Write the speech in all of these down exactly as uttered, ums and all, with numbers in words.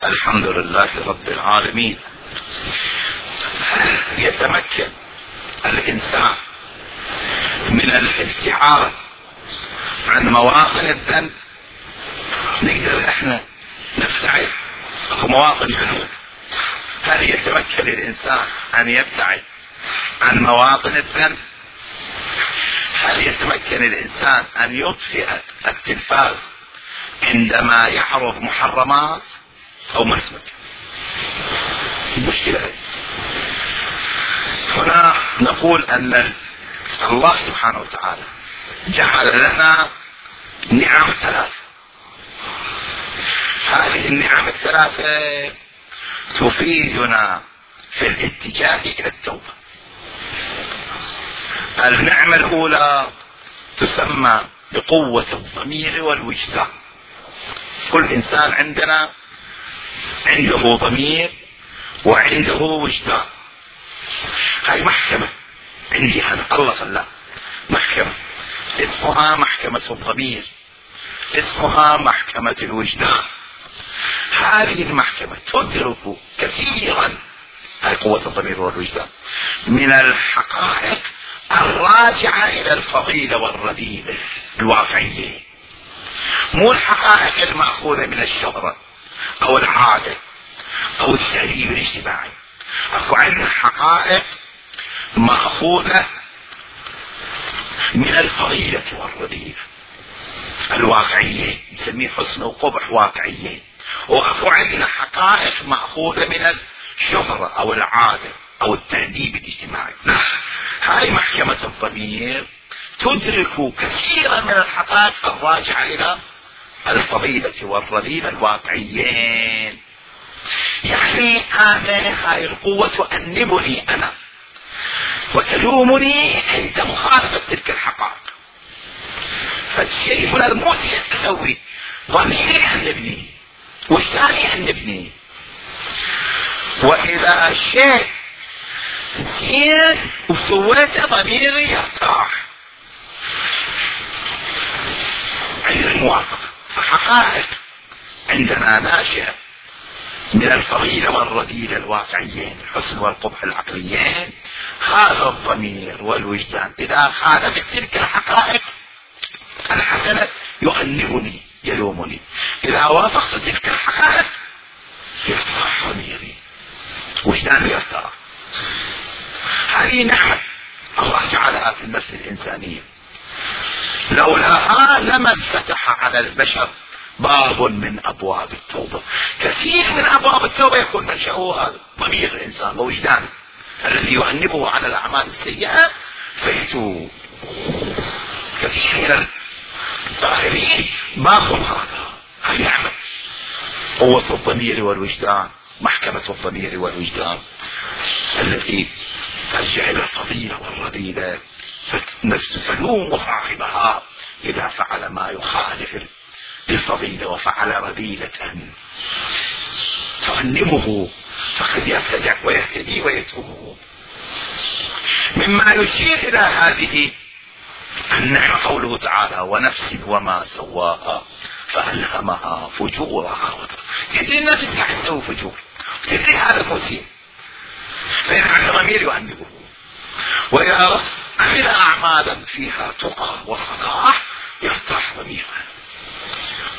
الحمد لله رب العالمين. يتمكن الإنسان من الابتعاد عن مواطن الذنب. نقدر احنا نبتعد في مواطن الذنوب. هل يتمكن الإنسان أن يبتعد عن مواطن الذنب؟ هل يتمكن الإنسان أن يطفئ التلفاز عندما يعرض محرمات أو مسمك؟ المشكلة هنا نقول أن الله سبحانه وتعالى جعل لنا نعم ثلاثة. هذه النعم الثلاثة تفيدنا في الاتجاه إلى التوبة. النعمة الأولى تسمى بقوة الضمير والوجدان. كل إنسان عندنا عنده ضمير وعنده وجدان. هاي محكمة عندي أنا، الله خلاها محكمة اسمها محكمة الضمير، اسمها محكمة الوجدان. هذه المحكمة تدرك كثيرا، هاي قوة الضمير والوجدان، من الحقائق الراجعة إلى الفضيلة والرذيلة الواقعية، مو الحقائق المأخوذة من الشهرة أو العادة أو التهذيب الاجتماعي. أكو عندنا حقائق مأخوذة من الفضيلة والرذيلة الواقعية، نسميه حسن وقبح واقعية. وأكو عندنا حقائق مأخوذة من الشهرة أو العادة أو التهذيب الاجتماعي. هاي محكمة الضمير تدرك كثيرا من الحقائق الراجعة إلى الفضيلة والرذيلة الواقعيين. يعني أنا هاي القوة تؤنبني أنا وتلومني عند مخالفة تلك الحقائق. فالشيء هنا المؤسف أسوي ضميري أنبني وجداني أنبني، وإذا الشيء زين وسويته ضميري يرتاح عند الموافقة. الحقائق عندنا ناشئة من الفضيلة والرذيلة الواقعيين، الحسن والقبح العقليين. هذا الضمير والوجدان إذا خالفت تلك الحقائق الحسنة يؤنبني يلومني، إذا وافقت تلك الحقائق يرتاح ضميري وجداني يرتاح. هذه نعمة الله جعلها في النفس الإنسانية، لولاها لما انفتح على البشر باب من أبواب التوبة. كثير من أبواب التوبة يكون منشأها ضمير الإنسان ووجدانه الذي يؤنبه على الأعمال السيئة فيتوب. كثير من الظاهرين بابهم هذا. هاي نعمة قوة الضمير والوجدان، محكمة الضمير والوجدان التي ترجع إلى الفضيلة والرذيلة، فالنفس تلوم صاحبها إذا فعل ما يخالف الفضيلة وفعل رذيلة تؤنبه، فقد يرتدع ويهتدي ويتوب. مما يشير إلى هذه النعمة قوله تعالى: ونفس وما سواها فألهمها فجورها. تدري النفس قاعد تسوي فجور، تدري هذا مسيء، فإن ضمير يؤنبه. وإذا عمل أعمالا فيها تقى وصلاح يرتاح ضميره.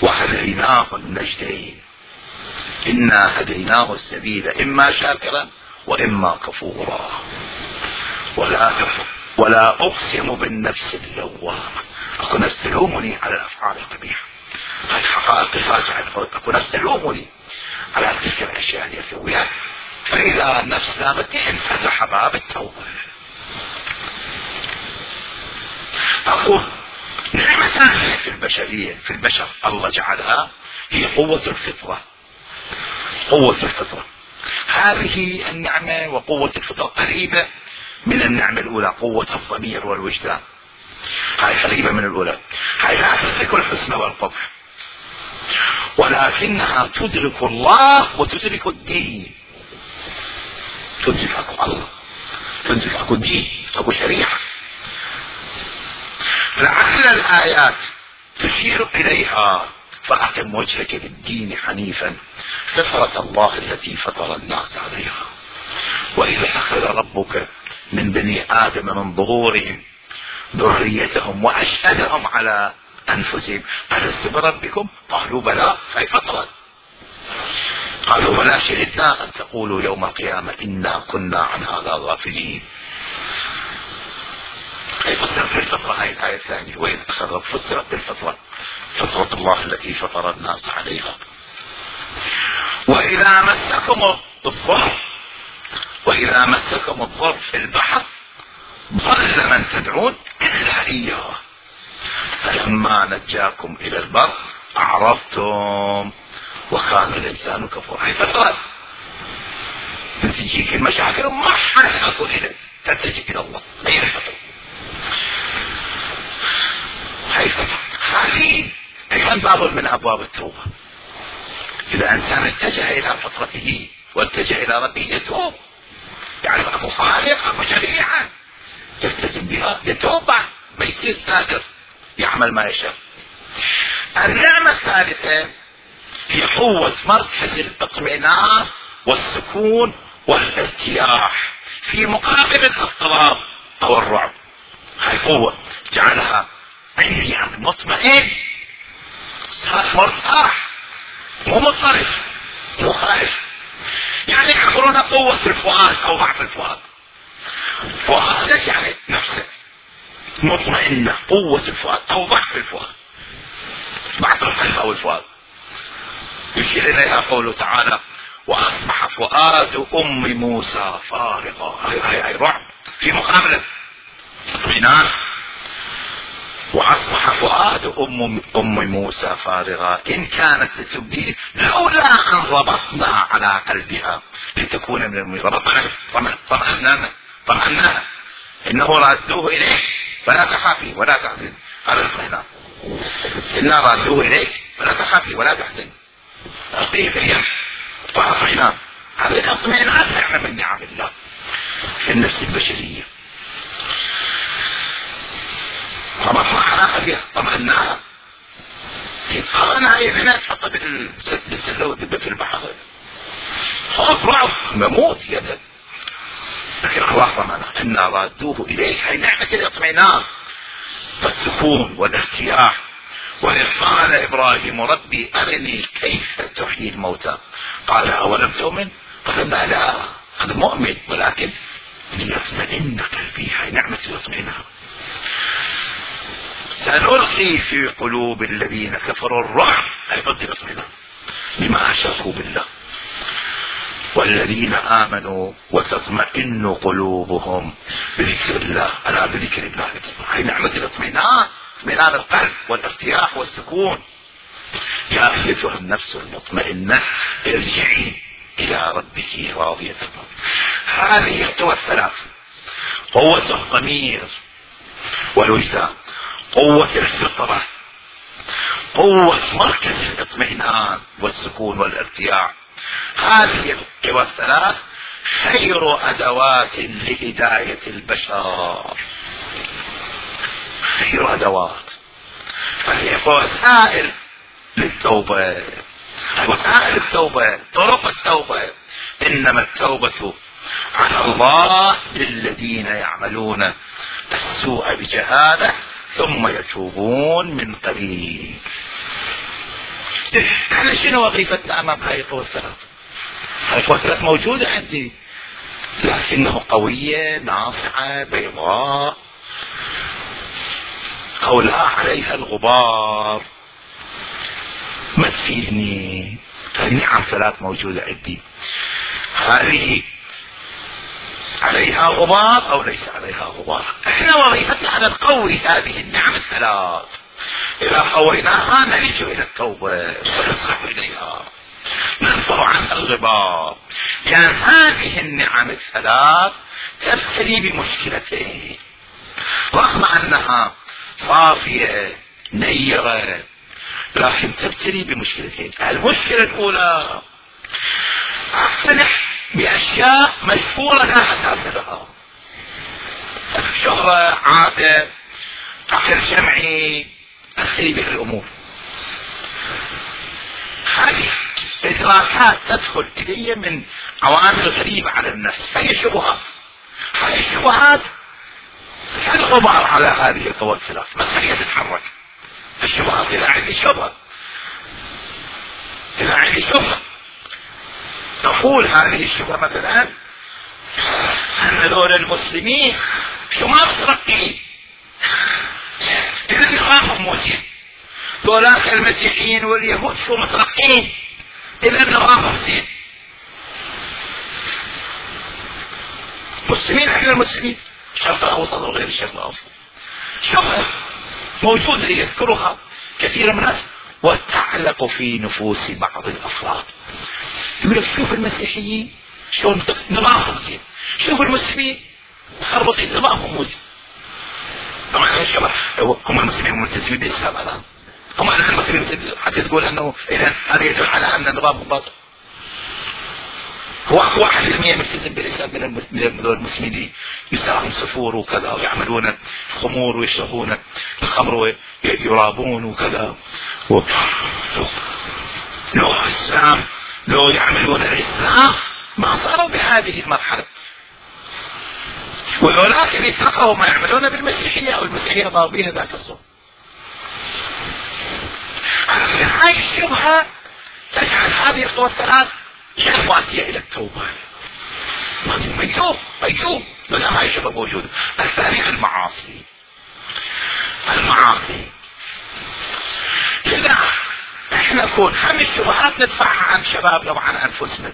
وهديناه النجدين إنا هديناه السبيل إما شاكرا وإما كفورا. ولا ولا أقسم بالنفس اللوامة. أكو نفس تلومني على الأفعال القبيحة، الحقائق راجعة. أكو نفس تلومني على تلك الأشياء اللي أسويها، فإذا النفس لامتني انفتح باب التوبة. أقول نعمة ثانية في البشرية في البشر الله جعلها هي قوة الفطرة. قوة الفطرة هذه النعمة وقوة الفطرة قريبة من النعمة الأولى، قوة الضمير والوجدان. هاي قريبة من الأولى. هاي لا تدرك الحسن والقبح، ولكنها تدرك الله وتدرك الدين. تدرك أكو الله، تدرك أكو دين، أكو شريعة. لعل الآيات تشير إليها فأقم وجهك للدين حنيفا فطرة الله التي فطر الناس عليها. وإذا أخذ ربك من بني آدم من ظهورهم ذريتهم وأشهدهم على أنفسهم ألست بربكم؟ قالوا بلى. فهي فطرة. قالوا بلى شهدنا أن تقولوا يوم القيامة إنا كنا عن هذا غافلين. هي فسرت بالفطرة. هاي الآية الثانية وإذ أخذ فسرت بالفطرة فطرة الله التي فطر الناس عليها. وإذا مسكم الضر وإذا مسكم الضر في البحر ضل من تدعون إلا إياه فلما نجاكم إلى البر أعرضتم وكان الإنسان كفورا. هي فترة تجيك المشاكل ما حد أقول إليك تتجه إلى الله. هي فترة. هي فترة. هذه أيضا باب من أبواب التوبة. إذا إنسان اتجه إلى فطرته واتجه إلى ربه يتوب، يعني أبو خالق أبو شريعة يلتزم بها يتوب ما يصير سادر يعمل ما يشاء. النعمة الثالثة هي قوة مركز الاطمئنان والسكون والارتياح في مقابل الاضطراب أو الرعب. هاي قوة جعلها عندي يعني مطمئن صار مرتاح مو مضطرب مو خائف. يعني يعبرون قوة الفؤاد أو ضعف الفؤاد. فؤاد يعني نفسك مطمئنة قوة الفؤاد أو ضعف الفؤاد ضعف القلب أو الفؤاد. يشير إليها قوله تعالى وأصبح فؤاد أم موسى فارغا. هاي هاي هاي رعب في مقابلة اطمئنان. وأصبح فؤاد أم أم موسى فارغا إن كانت لتبدي لولا أن ربطنا على قلبها لتكون من المؤمنين. ربطنا طمأناها طمأناها إنه رادوه إليك فلا تخافي ولا تحزن. هذا الاطمئنان. إنا رادوه إليك فلا تخافي ولا تحزن. أعطيه في اليم طمأناها. هذا الاطمئنان نعمة من نعم الله في النفس البشرية. ربطنا على قلبها طمأناها. أنا هي هنا تحط بالسلة ودبة في البحر خوف رعب مموت يدا. لكن الله طمأناها إنا رادوه إليك. هي نعمة الاطمئنان والسكون والارتياح. وإذ قال إبراهيم ربي أرني كيف تحيي الموتى قال أولم تؤمن قال لا أنا مؤمن ولكن ليطمئن قلبي. هي نعمة الاطمئنان. سنلقي في قلوب الذين كفروا الرعب أي ضد الاطمئنان بما أشركوا بالله والذين آمنوا وتطمئن قلوبهم بذكر الله. ألا بذكر الله هي نعمة الاطمئنان اطمئنان القلب والارتياح والسكون. يا أيتها النفس المطمئنة ارجعي إلى ربك راضية. هذه القوى الثلاث قوة الضمير والوجدان قوة الفطرة قوة مركز الاطمئنان والسكون والارتياح. هذه القوى الثلاث خير أدوات لهداية البشر. خير أدوات. فهي وسائل للتوبة. وسائل التوبة طرق التوبة. إنما التوبة على الله للذين يعملون السوء بجهالة ثم يتوبون من قريب. احنا شنو وظيفتنا امام هاي القوى الثلاث؟ هاي القوى الثلاث موجودة عندي لكنه قوية ناصعة بيضاء او لا عليها الغبار ما تفيدني. النعم ثلاث موجودة عندي. هذه عليها غبار او ليس عليها غبار. احنا وظيفتنا ان نقوي هذه النعم الثلاث. اذا قويناها نلج الى التوبة ونسخ اليها نرفع عنها الغبار. لان يعني هذه النعم الثلاث تبتلي بمشكلتين رغم انها صافية نيرة لكن تبتلي بمشكلتين. المشكلة الاولى اقتنع بأشياء مشهورة لا أساس لها. شهرة عادة عقل جمعي أخلي به الأمور. إدراكات تدخل إلي من عوامل غريبة على النفس، فهي شبهات. هذه الشبهات كالغبار على هذه القوى الثلاث، بس هي تتحرك. الشبهات إذا عندي شبهة إذا عندي شبهة نقول هذه الشبهة مثلا أن دول المسلمين شو ما مترقين، إذا نظامهم موسين. دولاك المسيحيين واليهود شو مترقين، إذا نظامهم زين. مسلمين احنا المسلمين، الشرق الأوسط وغير الشرق الأوسط، شبهة موجودة يذكرها كثير من الناس وتعلق في نفوس بعض الأفراد. يقول لك شوف المسيحيين شلون نظامهم زين، شوف المسلمين مخربطين نظامهم مو زين. طبعا الشباب هم المسلمين ملتزمين بالإسلام الآن، هم المسلمين حتى تقول أنه إذا هذا يدل على أن نظامهم باطل. هو واحد بالمية ملتزم بالإسلام من المسلمين يساهم سفور وكذا ويعملون خمور ويشربون الخمر ويرابون وكذا، لو الإسلام لو يعملون الإسلام ما صاروا بهذه المرحلة. ولكن يتفقهوا ما يعملون بالمسيحية أو المسيحية ضاربين ذاك الصوت. هاي الشبهة تجعل هذه القوى الثلاث غير مؤدية إلى التوبة. ما يتوب ما يتوب ما هاي الشبهة موجودة. الثاني المعاصي المعاصي كذا احنا نكون هم الشبهات ندفعها عن شبابنا وعن أنفسنا،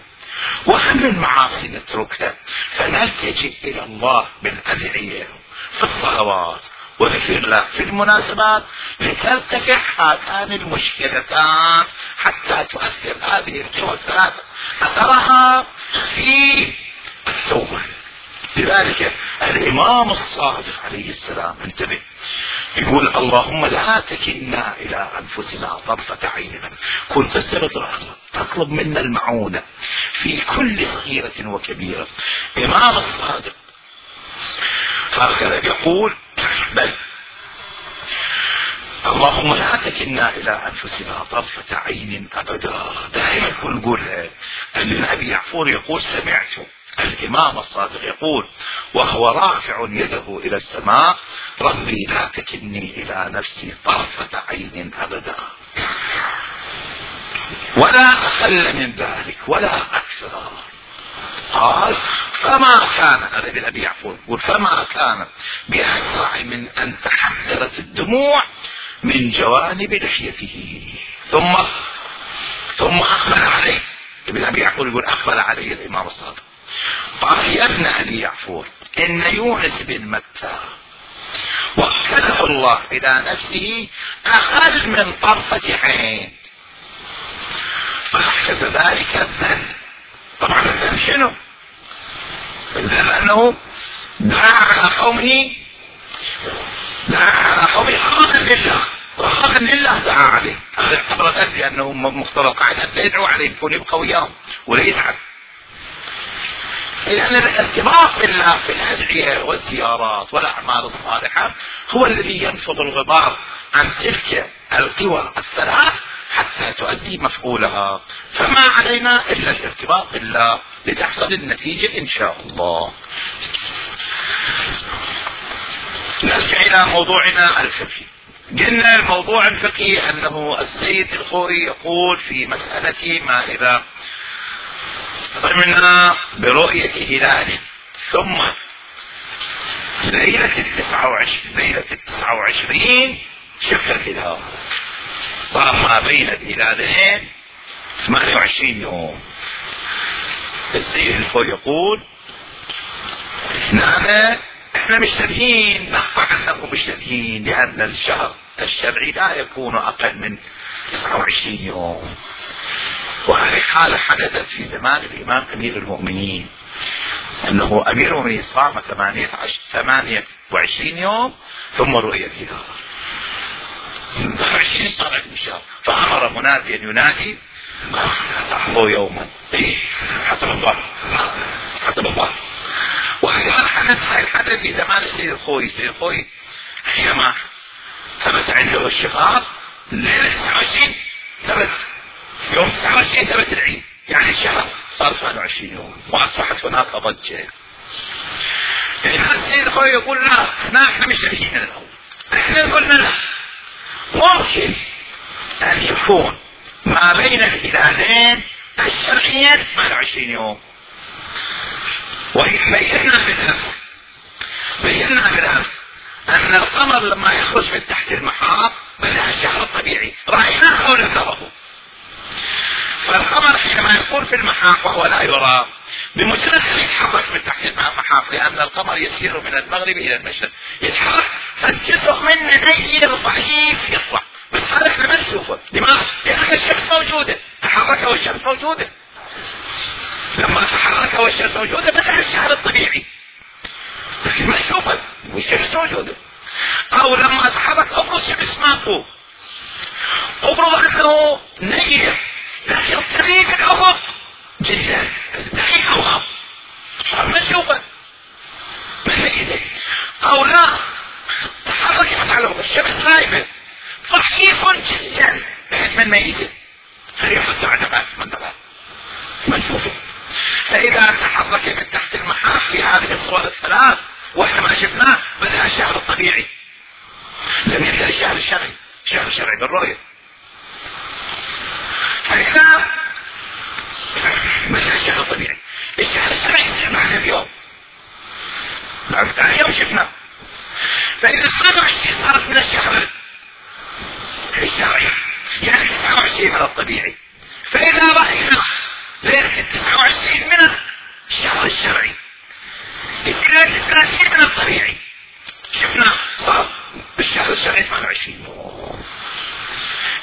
وهم المعاصي نتركها، فنلتجئ إلى الله بالأدعية في الصلوات وذكر الله في المناسبات لترتفع هاتان المشكلتان حتى تؤثر هذه القوى الثلاثة أثرها في التوبة. لذلك الإمام الصادق عليه السلام انتبه يقول اللهم لا تكلنا إلى أنفسنا طرفة عين، كنت تطلب منا المعونة في كل صغيرة وكبيرة. إمام الصادق هكذا يقول بل اللهم لا تكلنا إلى أنفسنا طرفة عين أبدا. دائما نقولها. النبي يعفور يقول سمعت الإمام الصادق يقول وهو رافع يده إلى السماء ربي لا تكلني إلى نفسي طرفة عين أبدا، ولا أقل من ذلك ولا أكثر. قال فما كان هذا بالنبي يعفور يقول فما كان بأسرع من أن تحذرت الدموع من جوانب لحيته. ثم ثم أقبل عليه ابن أبي يعفور يقول أقبل عليه الإمام الصادق قال يا ابن أبي يعفور إن يونس بن متى وكله الله إلى نفسه أقل من طرفة عين، فأحدث ذلك الذنب. طبعا الذنب شنو؟ الذنب أنه دعا على قومه دعا على قومه خاطا لله وخاطا لله دعا عليه. هذا اعتبر ذنب لأنه مفترض قاعد يدعو عليه يكون يبقى وياهم ولا يتعب. لأن الارتباط بالله في الأدعية والزيارات والأعمال الصالحة هو الذي ينفض الغبار عن تلك القوى الثلاث حتى تؤدي مفعولها. فما علينا إلا الارتباط بالله لتحصل النتيجة إن شاء الله. نرجع إلى موضوعنا الفقهي. قلنا الموضوع الفقهي أنه السيد الخوئي يقول في مسألة ما إذا ضمنا برؤية هلال ثم ليلة التسعة وعشرين ليلة التسعة وعشرين شفت الهلال، صار ما بين الهلالين ثمانية وعشرين يوم. السيد الخوئي يقول نحن احنا مشتبهين نخفى عنكم مشتبهين لأن الشهر الشرعي لا يكون أقل من تسعة وعشرين يوم، وهذه حالة حدثت في زمان الإمام أمير المؤمنين أنه أمير المؤمنين صام ثمانية وعشرين يوم ثم رؤية الهلال عشرين صارت الشهر، فأمر مناديا ينادي تحظوا يوما حسب الله حسب الله. وهذا حدث هاي الحدث في زمان السيد الخوئي. السيد الخوئي حينما ثبت عنده الشقاق ليلة تسعة وعشرين ثبت يوم تسعة وعشرين ثبت العيد، يعني الشهر صار ثمانية وعشرين يوم، واصبحت هناك ضجه. يعني السيد اخوي يقول لا احنا مش شايفين الاول، احنا قلنا لا، ممكن ان يكون ما بين الهلالين الشرعيين ثمانية وعشرين يوم. وبينا بالامس بينا بالامس ان القمر لما يخرج من تحت المحاط بدا الشهر الطبيعي، رايناه حول الضرب. فالقمر حينما يكون في المحاط وهو لا يرى، بمجرد ان يتحرك من تحت المحاط، لان القمر يسير من المغرب الى المشرق، يتحرك فالجزء منه نير ضعيف يطلع، بس هذا احنا ما نشوفه. لماذا؟ لان الشمس موجوده، تحرك والشمس موجوده. لما تحرك والشمس موجوده بدا الشهر الطبيعي، لكن ما نشوفه والشمس موجوده. او لما تحرك افرض الشمس ماكو، افرض انه نير لكن الطريق في الافق جدا دقيقه وغاب، ما نشوفه ما نميزه. او لا تحركت على الشمس غايبه ضعيف جدا بحيث ما نميزه، فيحط على نبات من نبات ما نشوفه. فاذا تحرك من تحت المحاط في هذه الصور الثلاث واحنا ما شفناه بدا الشهر الطبيعي، لم يبدا الشهر الشرعي. الشهر الشرعي بالرؤيه. فاذا بدا الشهر الطبيعي، الشهر الشرعي يصير معنا بيوم، بعد ثاني يوم شفناه. فاذا ثلاثة وعشرين صارت من الشهر الشرعي، يعني تسعة وعشرين من الطبيعي. فاذا راينا ليله تسعة وعشرين من الشهر الشرعي، ليله ثلاثين من الطبيعي، شفنا صار بالشهر الشرعي ثمانية وعشرين.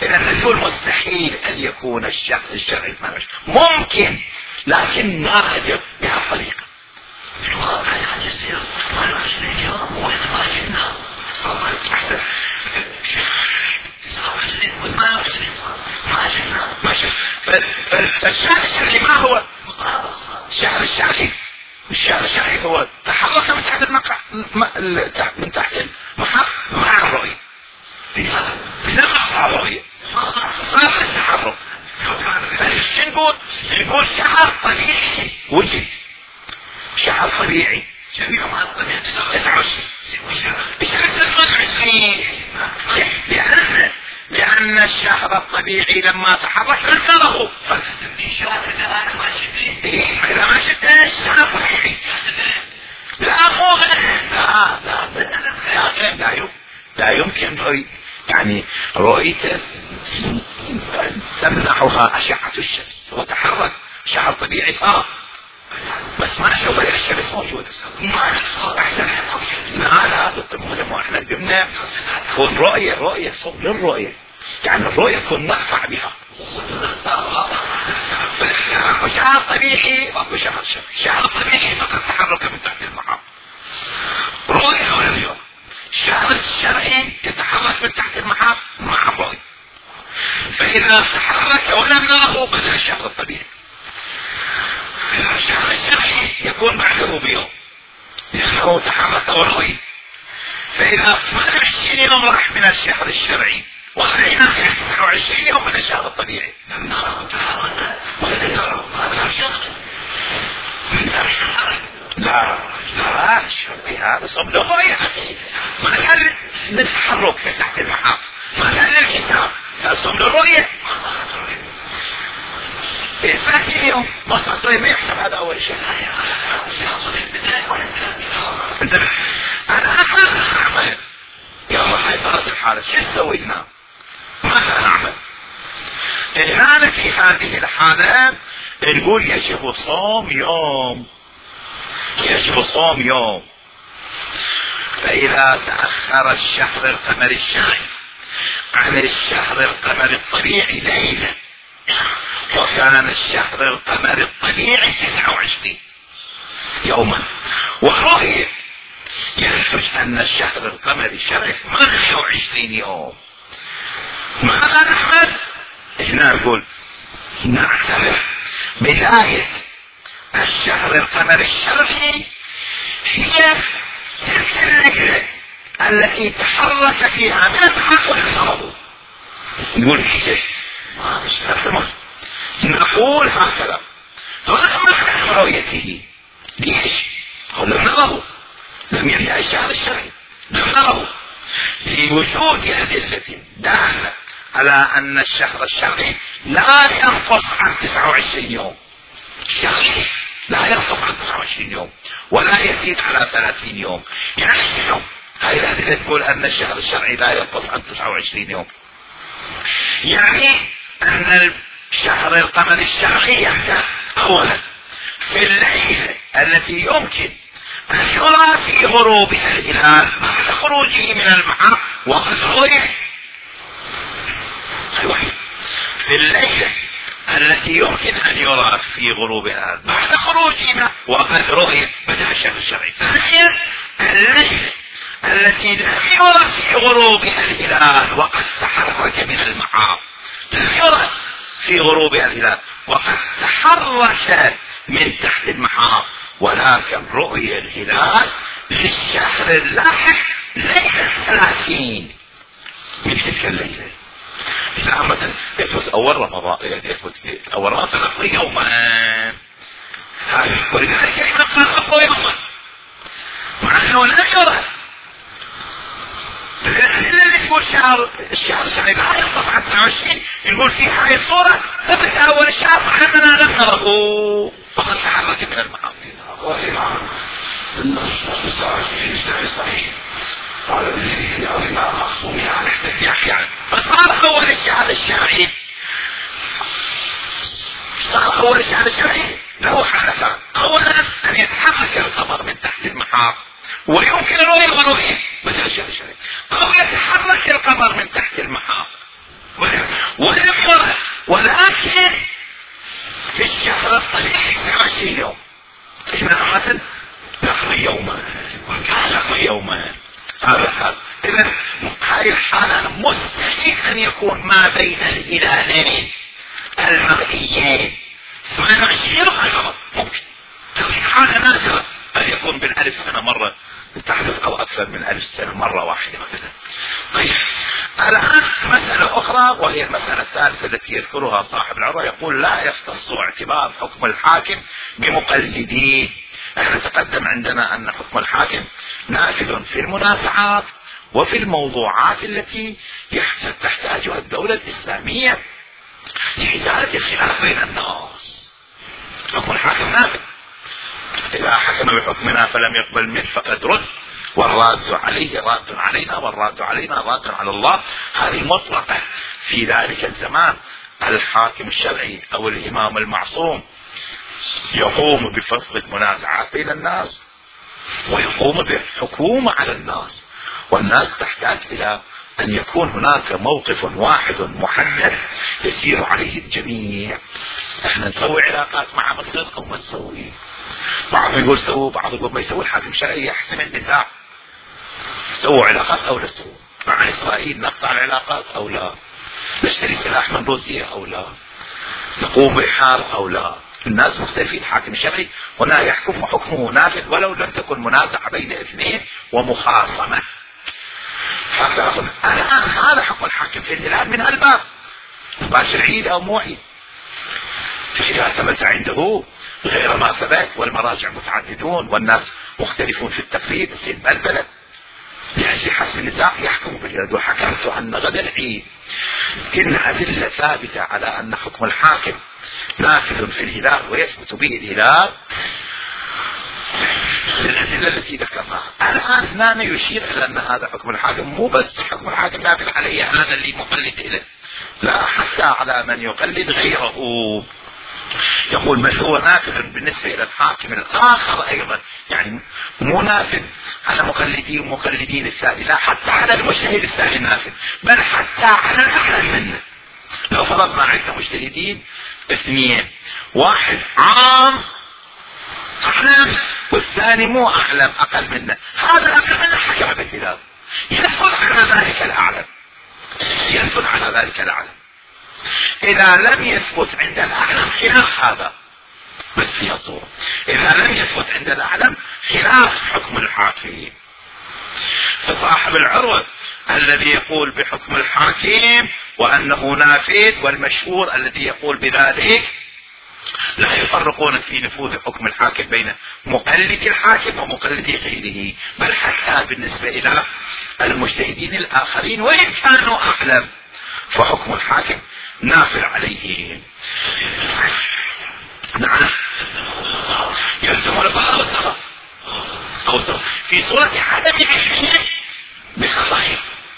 اذا نقول مستحيل ان يكون الشهر الشرعي ثمانية وعشرين، ممكن لكن نادر بهالطريقه. الواقع يعني يصير ثمانية وعشرين يوم واحنا ما شفناه، احسن تسعة وعشرين وثمانية وعشرين ما شفناه ما شفنا. فالشهر الشرعي ما هو الشهر الشرعي؟ الشهر الشرعي هو تحرك من تحت المقع من تحت المحاط مع الرؤية، بنقص الرؤية صار التحرك. فايش نقول؟ نقول شهر طبيعي وجد، شهر طبيعي تسعة وعشرين الشهر ثمانية وعشرين، لأن لأن الشهر الطبيعي لما تحرك انتظروا. إذا ما شفت الشهر الطبيعي لا مو لا لا لا لا يمكن رؤية، يعني رؤيته تمنحها أشعة الشمس وتحرك. شهر طبيعي صار بس ما نشوف الشمس موجودة. أحسن لا لا بالطبع واحنا جبنا تكون رؤية رؤية صوب للرؤية، يعني الرؤية تكون نقطع بها. شهر طبيعي أو شهر شهر شهر طبيعي فقط تحرك من تحت المحاط رؤية ولا اليوم. الشهر الشرعي يتحرك من تحت المحاط مع الرؤية، فإذا تحرك ولم نره بدأ الشهر الطبيعي. الشهر الشرعي يكون بعده بيوم لأنه تحرك ورؤية، فإذا ثمانية وعشرين يوم راح من الشهر الشرعي وخلينا في تسعة وعشرين يوم من الشهر الطبيعي. لا لا شوفي هذا صب للرؤية، ما كان للتحرك في تحت المحاط، ما كان للحساب، صب للرؤية. في ثلاثين يوم ما صار ما يحسب هذا أول شيء. انتبه، أنا أخذ أعمل يوم هاي صارت الحالة شو سوينا؟ ماذا نعمل؟ الآن في هذه الحالة نقول يجب صوم يوم، يجب صوم يوم. فإذا تأخر الشهر القمري الشرعي عن الشهر القمري الطبيعي ليلة، وكان الشهر القمري الطبيعي تسعة وعشرين يوما، ورؤية ينتج أن الشهر القمري الشرعي ثمانية وعشرين يوم. ماذا نعمل؟ هنا نقول نعتبر بداية الشهر القمري الشرعي هي تلك النقلة التي تحرك فيها من الحق والغضب. نقول في شيء نقول هكذا رغم رؤيته. ليش؟ لم نره، لم يرجع الشهر الشرعي، لم نره في وجود أدلة دالة على أن الشهر الشرعي لا ينقص عن تسعة وعشرين يوم. الشهري لا ينقص عن تسعة وعشرين يوم ولا يزيد على ثلاثين يوم. يعني شنو؟ هاي الأدلة تقول أن الشهر الشرعي لا ينقص عن تسعة وعشرين يوم، يعني أن الشهر القمر الشرعي يبدأ أولا في الليلة التي يمكن أن يرى في غروبها الهلال بعد خروجه من المحاق وقد رؤي. في الليلة التي يمكن أن يرى في غروبها بعد خروجها وقد رؤي بدأ الشهر الشرعي. ثانيا الليلة التي لم يرى في غروبها الهلال وقد تحرك من المحاق، لم يرى في غروبها الهلال وقد تحرك من تحت المحاق، ولكن رؤية الهلال للشهر اللاحق ليلة ثلاثين من تلك الليلة. إذا مثلا يثبت أول رمضان، يثبت أول رمضان تنقل يوما، ولذلك الإمام قال أقوى يوما مع أنه لم يرى. اللي يقول شهر الشهر الشهر لا ينقص عن تسعة وعشرين يقول في هاي الصورة ثبت أول الشهر مع أننا لم نره فقد تحرك من المعاصي. يعني فصار أول الشهر الشرعي، صار أول الشهر الشرعي له حالتان. أولا أن يتحرك القمر من تحت المحاق ويمكن أن يغنوه مثل الشهر الشرعي، أو يتحرك القمر من تحت المحاق ولم يرى. ولكن في الشهر الطبيعي تسعة وعشرين يوم مثلا يقضي يوما ويقضي يوما. هذا حال. إذا هذه الحالة مستحيل أن يكون ما بين الهلالين المرئيين ثمانية وعشرين يوم ممكن. حالة نادرة أن يكون بالألف سنة مرة تحدث أو أكثر من ألف سنة مرة واحدة مثلا. طيب الآن مسألة أخرى وهي المسألة الثالثة التي يذكرها صاحب العروة، يقول لا يختص اعتبار حكم الحاكم بمقلديه. احنا تقدم عندنا أن حكم الحاكم نافذ في المنازعات وفي الموضوعات التي تحتاجها الدولة الإسلامية لإزالة الخلاف بين الناس. حكم الحاكم نافذ، إذا حكم بحكمنا فلم يقبل منه فقد رد، والراد عليه راد علينا والراد علينا راد على الله. هذه مطلقة في ذلك الزمان. الحاكم الشرعي أو الإمام المعصوم يقوم بفصل المنازعات بين الناس ويقوم بالحكومة على الناس، والناس تحتاج إلى أن يكون هناك موقف واحد محدد يسير عليه الجميع. احنا نسوي علاقات مع مصر أو ما نسوي، بعض يقول سووا، بعض يقول ما يسوي. الحاكم الشرعي يحسم النزاع، سووا علاقات أو لا سووا مع إسرائيل، نقطع العلاقات أو لا، نشتري سلاح من روسيا أو لا، نقوم بحرب أو لا. الناس مختلفين. الحاكم الشرعي هنا يحكم وحكمه نافذ ولو لم تكن منازعة بين اثنين ومخاصمة. الآن هذا حكم الحاكم في الهلال من الباب مباشر عيد أو مو عيد. إذا ثبت عنده غير ما ثبت والمراجع متعددون والناس مختلفون في التفريد تصير بلبلة لأجل حسب النزاع يحكم باليد. وحكمت أن غدا العيد إن أدلة ثابتة على أن حكم الحاكم نافذ في الهلال ويثبت به الهلال الأدلة التي ذكرناها. الآن هنا يشير إلى أن هذا حكم الحاكم مو بس حكم الحاكم نافذ عليه هذا اللي مقلد إليه، لا حتى على من يقلد غيره. يقول بل هو نافذ بالنسبة إلى الحاكم الآخر أيضا، يعني مو نافذ على مقلدين ومقلدين الثاني، لا حتى على المجتهد الثاني نافذ، بل حتى على الأعلم منه. لو فرضنا عندنا مجتهدين اثنين، واحد عام أعلم والثاني مو أعلم أقل منه، هذا الأقل منه حكم بالهلال ينفذ على ذلك الأعلم، ينفذ على ذلك الأعلم. إذا لم يثبت عند الأعلم خلاف هذا بس فيها صورة، إذا لم يثبت عند الأعلم خلاف حكم الحاكم صاحب العروة الذي يقول بحكم الحاكم وأنه نافذ، والمشهور الذي يقول بذلك. لا يفرقون في نفوذ حكم الحاكم بين مقلد الحاكم ومقلد غيره، بل حتى بالنسبة إلى المجتهدين الآخرين وإن كانوا أعلم فحكم الحاكم نافذ عليهم. نعم، يلزم الفقر والسخط في صورة عدم علمه بخطأ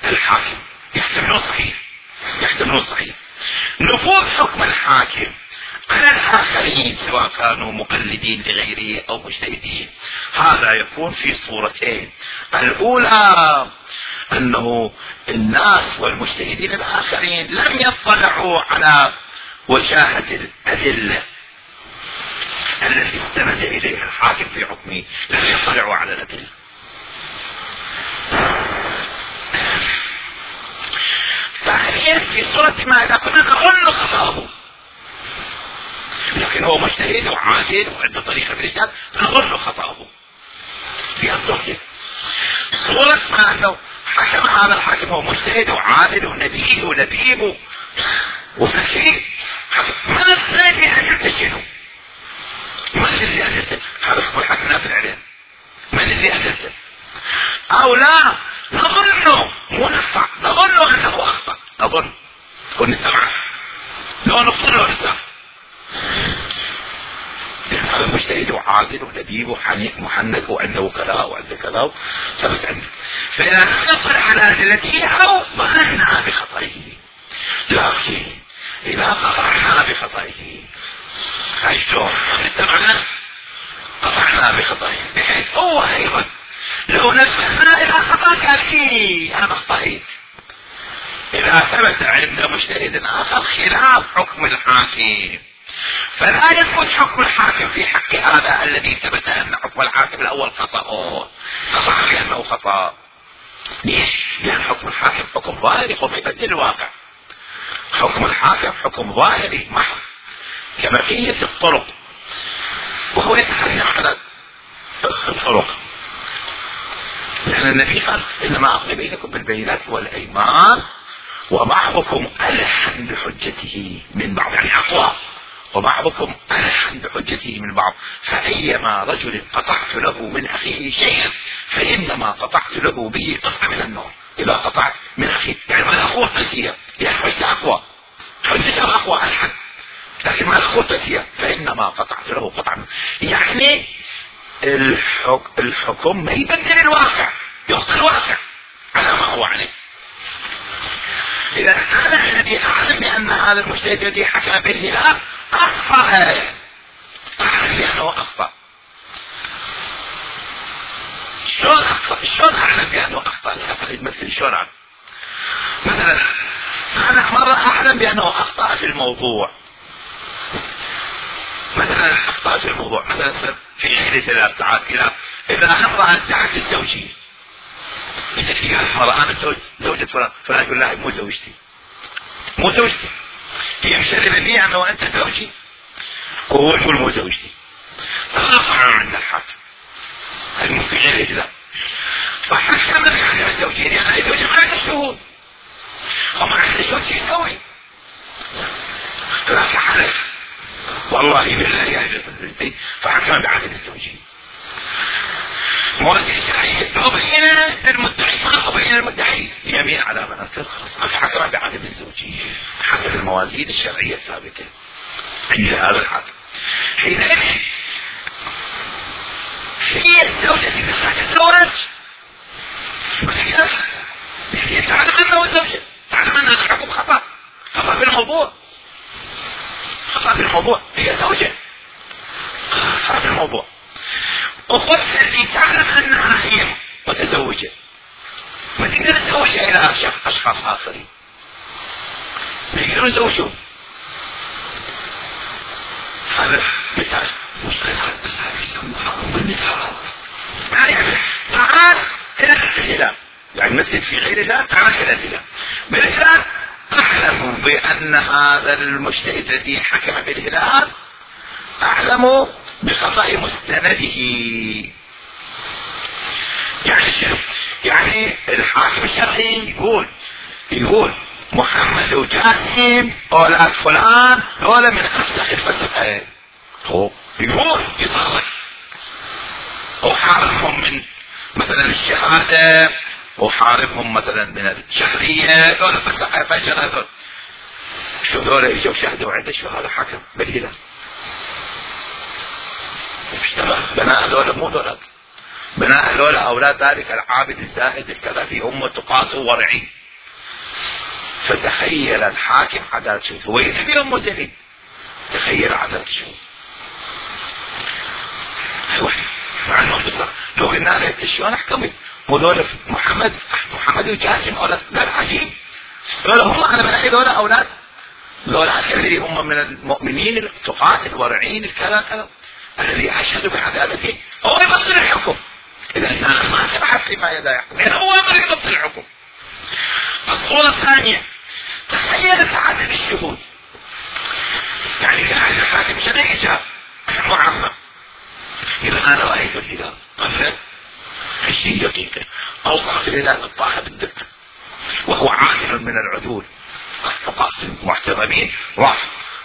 الحاكم، يحتملون صحيح يحتملون صحيح نفوذ حكم الحاكم على الآخرين سواء كانوا مقلدين لغيره أو مجتهدين. هذا يكون في صورتين: الأولى أنه الناس والمجتهدين الآخرين لم يطلعوا على وجاهة الأدلة التي استند إليها الحاكم في حكمه، لم يطلعوا على الأدلة. ثانيا في صورة ما إذا كنا نظن خطأه، لكن هو مجتهد وعادل وعنده طريقة في الاجتهاد نظن خطأه في الصورة. صورة ما أنه حكم هذا الحاكم هو مجتهد وعادل ونبيه ولبيب وفقيه، من الذي أجلت شنو؟ من الذي أجلت؟ هذا اسمه الحاكم نافذ عليه. من الذي أجلت؟ أو لا نظنه مو نخطأ، نظنه أنه أخطأ، نظن ونتبعه لو نفصل له نسافر. هذا مجتهد وعادل ولبيب وحنيك محنك وعنده كذا وعنده كذا ثبت عنده، فإذا نقل على أدلته أو ظننا بخطئه. لكن إذا قطعنا بخطئه هاي شلون؟ اتبعنا قطعنا بخطئه، بحيث هو أيضا لو نبهنا إلى خطأ كافي أنا أخطأت. إذا ثبت عند مجتهد آخر خلاف حكم الحاكم فلا يثبت حكم الحاكم في حق هذا الذي ثبت أن حكم الحاكم الأول خطأ، خطأ لأنه خطأ. ليش؟ لأن حكم الحاكم حكم ظاهري قم يبدل الواقع. حكم الحاكم حكم ظاهري محض كبقية الطرق، وهو يتحكم على الطرق، لأن النبي قال إنما أقضي بينكم بالبينات والأيمان وبعضكم ألحن بحجته من بعض، يعني أقوى، وبعضكم ألحن بحجته من بعض، فأيما رجل قطعت له من أخيه شيئا فإنما قطعت له به قطعة من النار. إذا قطعت من أخيه يعني ما الأخوة قاسية، يعني حجة أقوى، حجة أقوى ألحن، لكن ما الأخوة قاسية فإنما قطعت له قطعة. يعني الحكم, الحكم ما يبدل الواقع، يبقى الواقع على ما هو عليه. إذا هذا الذي أعلم بأن هذا المجتهد الذي حكم بالهلال أخطأ، أعلم بأنه أخطأ. شلون أخطأ؟ شلون أعلم بأنه أخطأ؟ سأفعل مثل شلون أعلم؟ مثلا أنا مرة أعلم بأنه أخطأ في الموضوع، مثلا أخطأ في الموضوع مثلا في غير ثلاث ساعات كذا، إذا امرأة ادعت الزوجية، إذا في مرة أنا زوج زوجة فلان، فلان يقول لا مو زوجتي مو زوجتي، هي مشرفة لي أنا وأنت زوجي، وهو يقول مو زوجتي، فرفع عند الحاكم المو في غير الإجزاء، فحكم بحكم الزوجين يعني زوجي ما عنده شهود وما عنده شهود شو يسوي؟ فلا حلف والله بالله يا زوجتي، فحكم بعدم الزوجين. موازين الشرعية لو بين المدعي ما بين المدعي يمين على مناصر خلاص حكم بعدم الزوجية حسب الموازين الشرعية الثابتة عند هذا الحاكم. حينئذ هي الزوجة إذا تتزوج يعني تعلم أنه الزوجة، تعلم أن هذا الحكم خطأ، خطأ في الموضوع، خطأ في الموضوع، هي زوجة خطأ في الموضوع. وخص اللي تعلم أنها هي متزوجة ما تقدر تزوجها إلى أشخاص آخرين، ما يقدرون يزوجون. هذا مثال مشكلة بس هذا يسمى بالمثال. يعني تعال إلى الهلال، يعني مثل في غير الهلال تعال إلى الهلال. بالهلال أعلم بأن هذا المجتهد الذي حكم بالهلال أعلم بخطأ مستنده. يعني شنو؟ يعني الحاكم الشرعي يقول يقول محمد وجاسم اولاد فلان هذول من افسخ الفسقين، هو يقول يصرح وحاربهم من مثلا الشهاده وحاربهم مثلا من الشهريه، هذول فسقين فشل. هذول شو هذول اجوا شهدوا عنده شو هذا حكم بالهلال اشتبه بناء هذول مو ذولك، بناء هذول اولاد ذلك العابد الزاهد الكذا في امه تقاته ورعي. فتخيل الحاكم عدالة شو هو يتبي امه زين، تخيل عدالة شو مع لو قلنا له شلون احكمت هذول محمد محمد وجاسم اولاد، قال عجيب قال هم على بناء هذول اولاد هذول الذي هم من المؤمنين التقاة الورعين الكذا كذا الذي اشهدوا بعدالته هو يبطل الحكم. اذا انا ما سمحت فيما يدا يحكم، يعني هو ما يبطل الحكم. الصورة الثانية تخيل سعادة الشهود، يعني كان الحاكم شرعي جاء معمم، إذا أنا رأيت الهلال قبل عشرين دقيقة أوقع في الهلال الطاحة بالدق وهو عادل من العدول الفقهاء المحترمين، راح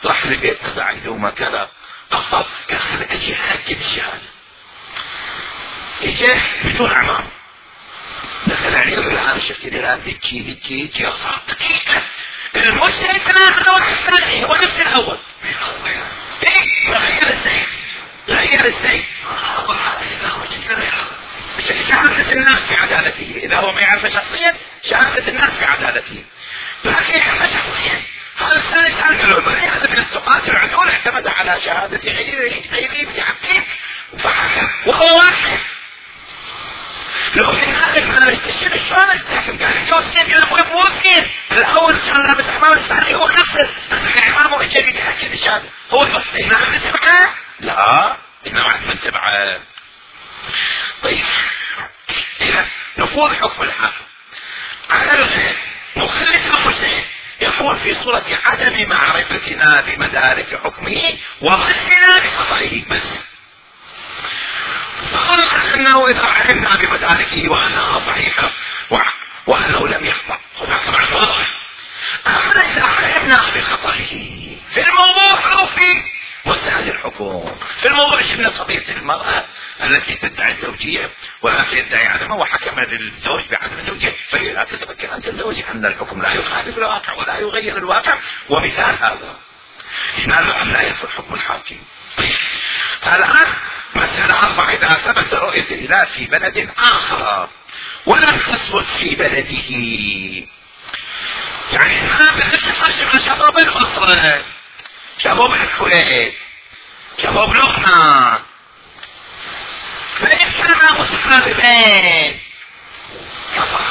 راح لبيت مساعده وما كذا أخطأ كان أجي أأكد الشهادة، إجاه بدون أعمام دخل عليه الآن شفت الهلال ذكي ذكي ذكي أصاب دقيقة المشتري ثلاثة واحد الثاني هو نفس الأول. إيه غير الزين غير الزين شهادة الناس في عدالته، إذا هو ما يعرف شخصيا شهادة الناس في عدالته، لكن يعرف شخصيا هذا الثالث هذا من التقاة العدول اعتمد على شهادة غيره غيره بحقه فحكم وهو واحد. لو في الآخر ما نستشير شلون نستحكم؟ قال جوزين يا أبوي موزين الأول كان لابس حمام الثاني هو نفسه حمامه إجابي تأكد الشهادة هو إنما نتبعه؟ لا إنما نتبعه. طيب إذا نفوذ حكم الحاكم على الغير نخلص المجتهد يكون في صورة عدم معرفتنا بمدارك حكمه وظننا بخطئه بس، فخلق انه اذا علمنا بمداركه وانها صحيحة وانه لم يخطأ فطبعا واضح، اما اذا علمنا بخطئه في الموضوع او في مسائل الحكم، في الموضوع شفنا قضية المرأة التي تدعي الزوجية ولا تدعي عدمها وحكم للزوج بعدم الزوجية فهي لا تتمكن ان تتزوج، ان الحكم لا يخالف الواقع ولا يغير الواقع، ومثال هذا لماذا ان لا ينفذ حكم الحاكم. الان مسألة أربعة إذا ثبت رؤية الهلال في بلد آخر ولم تثبت في بلده، يعني هذا الشيء من شباب الأسرة شباب الكويت شباب لبنان فإن كان متقاربين كفى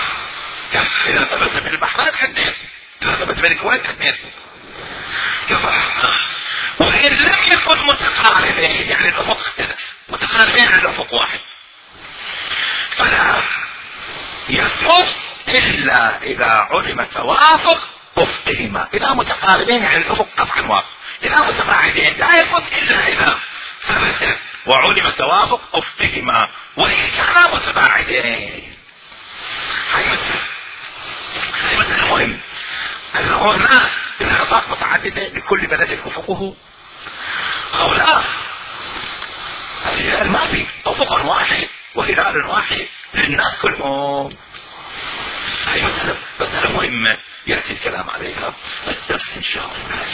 كفى إذا ثبت من البحرين حدث، إذا ثبت من الكويت حدث كفى. وإن لم يكن متقاربين يعني الأفق اختلف، متقاربين على الأفق واحد فلا يثبت إلا إذا علم توافق أفقهما، إذا متقاربين يعني الأفق قطعا واضح، إذا متباعدين لا يثبت إلا إذا ثبت وعلم توافق أفقهما، وإن كانا متباعدين هاي مسألة هاي مسألة مهم. هنا الخطأ متعددة لكل بلد أفقه أو لا، الهلال ما في أفق واحد وهلال واحد للناس كلهم. هاي مسألة مسألة مهمة يأتي الكلام عليها السبت إن شاء الله.